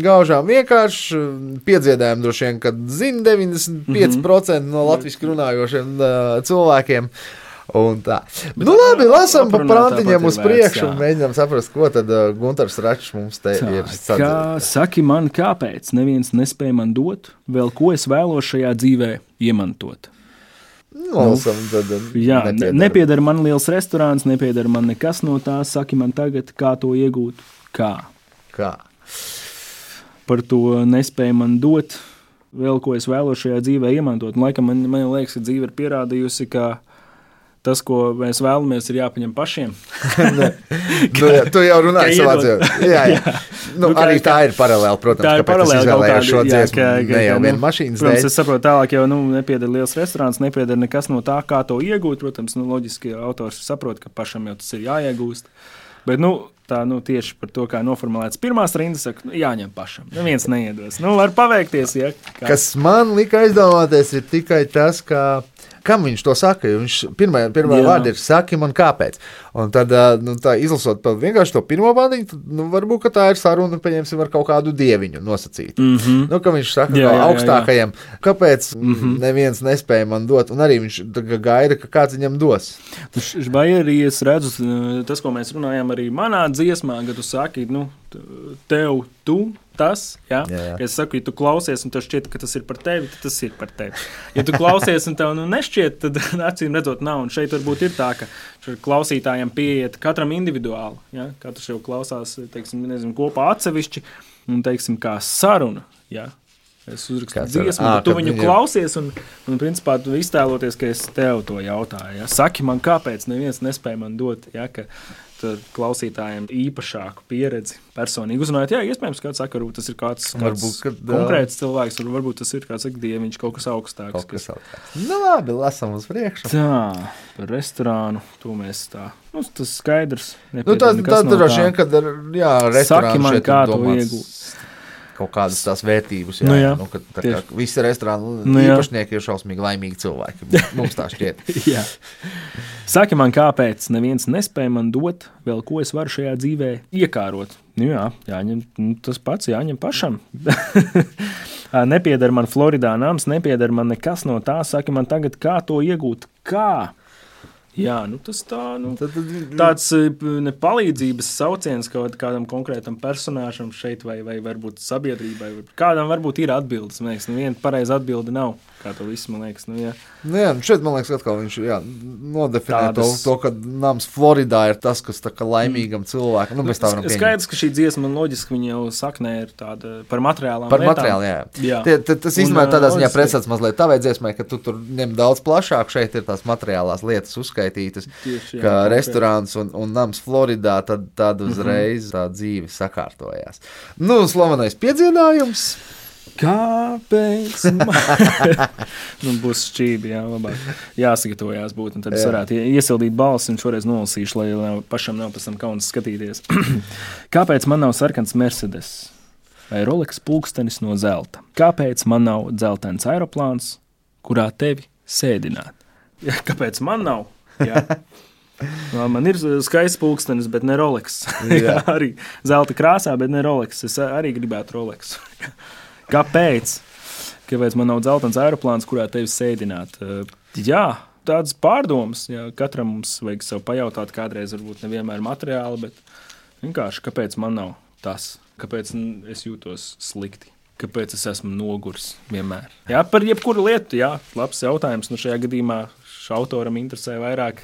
gaužām vienkārši, piedziedājumi droši vien, kad zina 95% no latviski runājošiem cilvēkiem. Un tā. Labi, lasām pa prantiņiem uz priekšu un mēģinām saprast, ko tad Guntars Račs mums te ir sadzird. Saki man, kāpēc neviens nespēja man dot, vēl ko es vēlos šajā dzīvē iemantot? Lasām, tad nepiedara man liels restorāns, nepiedara man nekas no tā, saki man tagad, kā to iegūt. Kā? Par to nespēja man dot, vēl ko es vēlos šajā dzīvē iemantot. Un, laikam, man liekas, ka dzīve ir pierādījusi, ka tas, ko mēs vēlamies, ir jāpaņem pašiem. Tu jau runāji savā dzīvē. Jā. Arī tā ir paralēli, protams, kāpēc es izvēlējos šo dziesmu. Ne jau viena mašīnas dēļ. Protams, es saprotu tālāk, jau nepiedara liels restorāns, nepiedara nekas no tā, kā to iegūt. Protams, loģiski autors saprot, ka pašam jau tas ir jāiegūst. Bet, tā tieši par to, kā noformulēts pirmās rindas, saka, jāņem pašam. Neviens neiedos. Var paveikties, ja. Kas man lika aizdomāties, ir tikai tas, kam viņš to saka. Viņš pirmā vārda ir saki man kāpēc. Un tad, tā izlasot vienkārši to pirmo vārdiņu, tad varbūt, ka tā ir saruna, pieņemsim, ar kaut kādu dieviņu nosacītu. Ka viņš saka augstākajiem, kāpēc neviens nespēja man dot, un arī viņš gaida, ka kāds viņam dos. Vai arī es redzu, tas, ko mēs runājam arī manā dziesmā, kad tu saki, tev, tas, ja? Es saku, ja tu klausies un tev šķiet, ka tas ir par tevi, tad tas ir par tevi. Ja tu klausies un tev nešķiet, tad acīm redzot nav. Un šeit varbūt ir tā, ka klausītājiem pieiet katram individuāli. Ja? Katrs jau klausās, kopā atsevišķi un, kā saruna. Ja? Es uzrakstu dziesmu, bet tu viņu klausies un principā, tu iztēloties, ka es tev to jautāju. Ja? Saki man, kāpēc neviens nespēja man dot, ja? Ka klausītājiem īpašāku pieredzi personīgi uzrunājot. Jā, iespējams, kāds saka, varbūt tas ir kāds konkrēts cilvēks, varbūt tas ir kāds dieviņš, kaut kas augstāks. Labi, lasam uz priekšu. Tā, par restorānu, to mēs tā, tas skaidrs. Tas droši vien, kad restorāns saki man, kā to iegūt. Kaut kādas tās vērtības, visi restorāni īpašnieki ir šausmīgi laimīgi cilvēki. Mums tā šķiet. Jā. Saki man, kāpēc neviens nespēja man dot, vēl ko es varu šajā dzīvē iekārot. Jāņem, tas pats jāņem pašam. Nepiedara man Floridā nams, nepiedara man nekas no tā, saki man tagad, kā to iegūt. Kā? Jā, tas tāds palīdzības sauciens kādam konkrētam personāžam šeit vai varbūt sabiedrībai. Kādam varbūt ir atbildes, man liekas, neviena pareiza atbilde nav, kā to visu, man liekas. Šeit, man liekas, atkal viņš nodefinē to, ka nams Floridā ir tas, kas tā kā laimīgam cilvēkam. Mēs tā varam pieņemt. Skaidrs, ka šī dziesma loģiski viņa jau saknē ir tāda par materiālām lietām. Par materiālu, jā. Tas īstenībā tādā ziņā pretsats mazliet tavai dziesmai, ka tu tur ņem daudz plašāk, šeit ir tās materiālās lietas uzskaitītas, tieši, ka restorāns un nams Floridā, tad uzreiz tā dzīve sakārtojās. Slavenais piedziedājums. Kāpēc? Būs šķībi, labāk. Jāsagatavojās būt, un tad es varētu iesildīt balsi, un šoreiz nolasīšu, lai pašam nav pēc tam kauns skatīties. Kāpēc man nav sarkans Mercedes vai Rolex pulkstenis no zelta? Kāpēc man nav dzeltens aeroplāns, kurā tevi sēdināt? Kāpēc man nav? Jā. Man ir skaists pulkstenis, bet ne Rolex. Arī zelta krāsā, bet ne Rolex. Es arī gribētu Rolex. Kāpēc? Kāpēc man nav dzeltens aeroplāns, kurā tevi sēdināt? Tādas pārdomas. Katram mums vajag sev pajautāt, kādreiz varbūt nevienmēr materiāli, bet vienkārši, kāpēc man nav tas? Kāpēc es jūtos slikti? Kāpēc es esmu nogurs vienmēr? Par jebkuru lietu, labs jautājums. Šajā gadījumā autoram interesē vairāk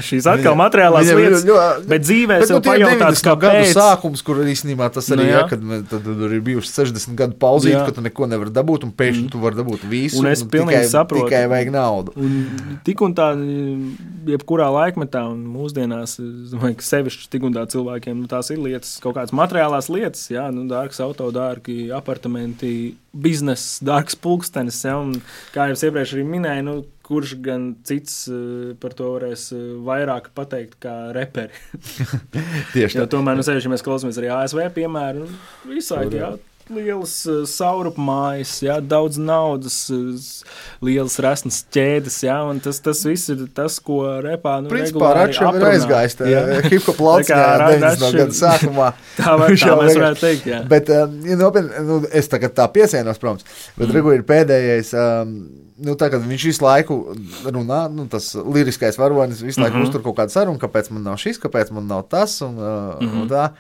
šīs atkal materiālās lietas, bet dzīvē sev pajautāts, kāpēc. Gadu sākums, kur īstenībā tas arī kad tur ir bijuši 60 gadu pauzīt, ka tu neko nevar dabūt, un pēkšņi tu vari dabūt visu, un es pilnīgi saprotu. Tikai vajag naudu. Un tik un tā, jebkurā laikmetā un mūsdienās, es domāju, ka sevišķi tik un tā cilvēkiem, tās ir lietas, kaut kādas materiālās lietas, dārgs auto, dārgi apartamenti, bizness, dārgs pulkstenis, un kā jau iepriekš arī minēju, kurš gan cits par to varēs vairāk pateikt kā reperi. Tieši tā. Tomēr, ja mēs klausāmies arī ASV piemēru, visādi, lielas saurupmājas, jā, daudz naudas, lielas resnas ķēdes, jā, un tas viss ir tas, ko repā, Principā Rakšam ir aizgājis hip-hop lauciņā 90. gadu sākumā. tā mēs varētu teikt, jā. Bet, nopietni, es tagad tā piesienos, protams, bet Regu ir pēdējais, tā, kad viņš visu laiku runā, tas liriskais varonis visu laiku uztur kaut kādu sarunu, kāpēc man nav šis, kāpēc man nav tas, un tā.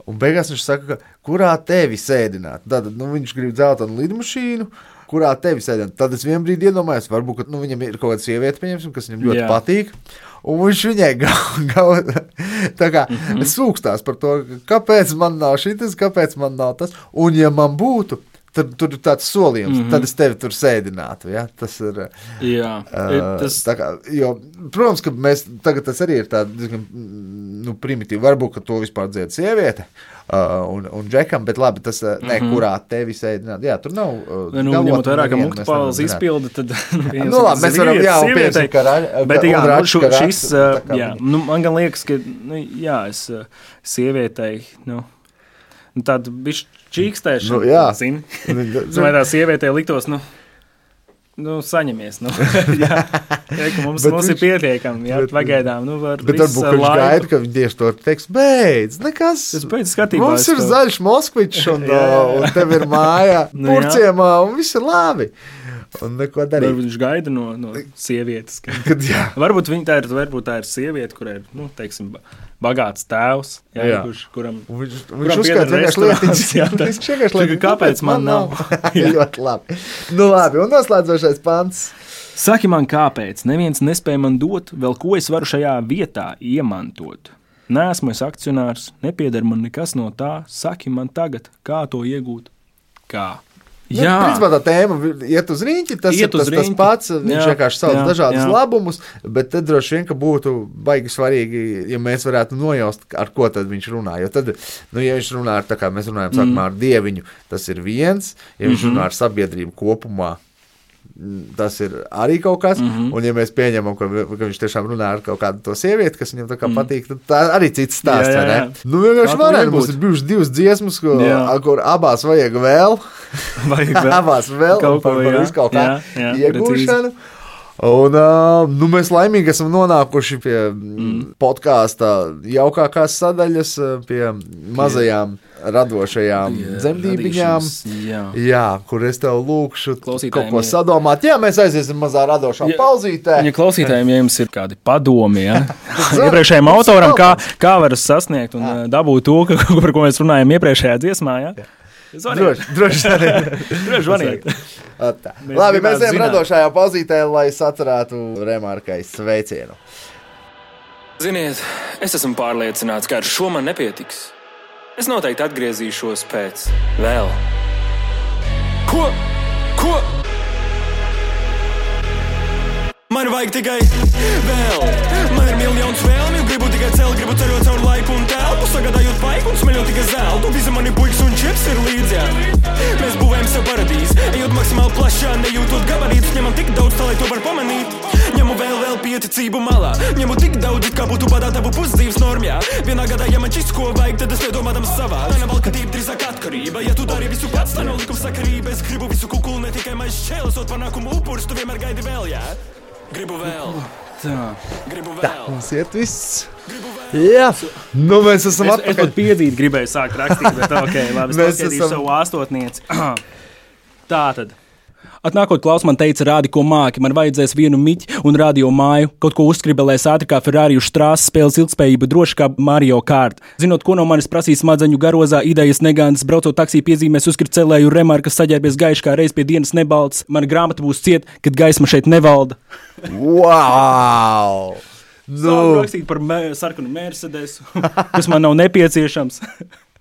Un beigās viņš saka, kurā tevi sēdināt. Tad viņš grib dzeltenu lidmašīnu, kurā tevi sēdināt. Tad es vienā brīdī iedomājos, varbūt, ka viņam ir kaut kāda sieviete, pieņemsim, kas viņam ļoti patīk. Un viņš viņai tā kā sūkstās par to, kāpēc man nav šitas, kāpēc man nav tas. Un ja man būtu, tad tur ir tāds solījums, tad es tevi tur sēdinātu. Ja? Tas ir. Jā, tā kā, jo, protams, ka mēs tagad tas arī ir tāds primitīvi. Varbūt, ka to vispār dzied sieviete un džekam, bet labi, tas kurā tevi sēdināt. Jā, tur nav. Ņemot vairāk, ka Muktupāls izpilda, tad. Labi, mēs varam, pieņemsim, ka šis, man gan liekas, ka, es sievietei, tāda bišķi čīkstēšana, zini. Vai tā sievietē liktos, saņemies, jā, ka mums ir pietiekami, jā, pagaidām, var bet varbūt, ka viņš gaida, ka viņi tieši to teiks, beidz, nekas, mums ir zaļš Moskvičs, un tev ir māja Purciemā, un viss ir labi. Un neko darīt. Varbūt viņš gaida no sievietes. Varbūt tā ir sieviete, kurai ir, teiksim, bagāts tēvs, kuram uzskata vienkārši lietiņas. Kāpēc man nav? Ļoti labi. Labi, un noslēdzošais pants. Saki man, kāpēc? Neviens nespēja man dot, vēl ko es varu šajā vietā iemantot. Neesmu es akcionārs, nepieder man nekas no tā. Saki man tagad, kā to iegūt? Kā? Jā, principā tā tēma iet uz riņķi, tas pats, viņš vienkārši sauc dažādus labumus, bet tad droši vien, ka būtu baigi svarīgi, ja mēs varētu nojaust, ar ko tad viņš runā, jo tad, ja viņš runā ar, tā kā mēs runājam sākumā ar dieviņu, tas ir viens, ja viņš runā ar sabiedrību kopumā, tas ir arī kaut kas, un ja mēs pieņemam, ka viņš tiešām runā ar kaut kādu to sievieti, kas viņam tā kā patīk, tad tā arī cits stāsts, vai ne? Vienkārši varētu, mums ir bijušas divas dziesmas, kur abās vajag vēl, abās vēl, par visu kaut kā iegūšanu. Un mēs laimīgi esam nonākuši pie podkāsta jaukākās sadaļas, pie mazajām radošajām dzemdībiņām, kur es tev lūkšu kaut ko sadomāt. Jā, mēs aiziesim mazā radošā pauzītē. Ja klausītājiem, ja jums ir kādi padomi, iepriekšējiem autoram, kā var sasniegt un dabūt to, par ko mēs runājam iepriekšējā dziesmā, Droši zvaniet. Labi, mēs ejam radošajā pauzītē, lai sacerētu Remarkai sveicienu. Ziniet, es esmu pārliecināts, ka ar šo man nepietiks. Es noteikti atgriezīšos pēc vēl. Ko? Man vajag tikai vēl. Man ir miljons vēlmju, gribu tikai celt, gribu ceļot caur laiku un telpu, sagādājot paiku un smeļot tikai zeltu. Visi mani puikas un čips ir līdzi. Mēs būvējam sev paradīzi, ejot maksimāli plašā, nejūtot gabarītus, ņemam tik daudz, tā lai to var pamanīt. Ņemu vēl pieticību malā, ņemu tik daudz, kā būtu badā tavu pusdzīves normjā. Vienā gadā, ja man šis ko vajag, tad es nedomādams savā. Tā nav valkatība, drīzāk atkarība, ja tu dari visu pats, tā nav likuma sakarība. Es gribu visu kukulu, ne tikai maiz šķēlesot panākumu upurs, tu vienmēr gaidi vēl, Gribu vēl. Gribu vēl. Tā, mums iet viss. Jā, mēs esam atpakaļ. Es pat piedzīt gribēju sākt rakstīt, bet labi, es paskatīšu savu āstotnieci. Tātad. Atnākot klaus man teica, rādi, ko māki, man vajadzēs vienu miķi un radio māju, kaut ko uzskribelēs ātri kā Ferrari uz strāsas, spēles ilgspējību droši kā Mario Kart. Zinot, ko no manis prasīs smadzeņu garozā, idejas negānas, braucot taksī piezīmēs, uzskrit celēju Remarkas saģērbies gaiši kā reiz pie dienas nebalts. Mana grāmata būs ciet, kad gaisma šeit nevalda. Wow! Sāku rakstīt par sarkanu Mercedesu, kas man nav nepieciešams.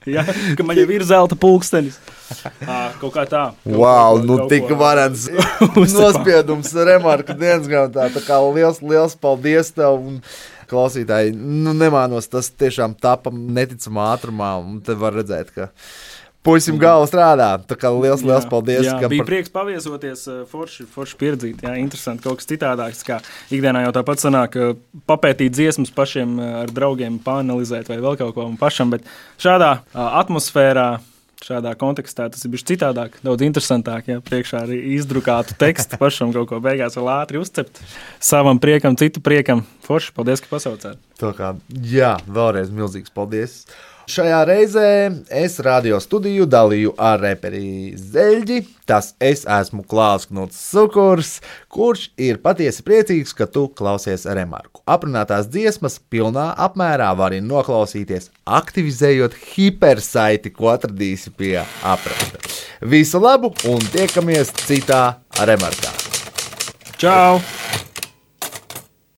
Ka man jau ir zelta pulkstenis. Kaut kā tā. Wow, tik varens nospiedums Remarka dienas grāmatā. Tā kā liels paldies tev. Klausītāji, nemānos, tas tiešām tapa neticamā ātrumā. Un te var redzēt, ka puisim galva strādā. Tā kā liels paldies. Bija prieks paviesoties, forši pieredzīt. Interesanti, kaut kas citādāks. Kā ikdienā jau tāpat sanāk papētīt dziesmas pašiem ar draugiem, paanalizēt vai vēl kaut ko pašam. Bet šādā atmosfērā šādā kontekstā tas ir bijis citādāk, daudz interesantāk, ja priekšā arī izdrukātu tekstu pašam kaut ko beigās vēl ātri uzcept. Savam priekam, citu priekam. Forši, paldies, ka pasaucāt. Jā, vēlreiz milzīgs paldies. Šajā reizē es radio studiju dalīju ar reperi Zeļģi. Tas es esmu Klāls Knuts Sukurs, kurš ir patiesi priecīgs, ka tu klausies Remarku. Aprunātās dziesmas pilnā apmērā vari noklausīties, aktivizējot hipersaiti, ko atradīsi pie apraksta. Visu labu un tiekamies citā Remarkā. Čau!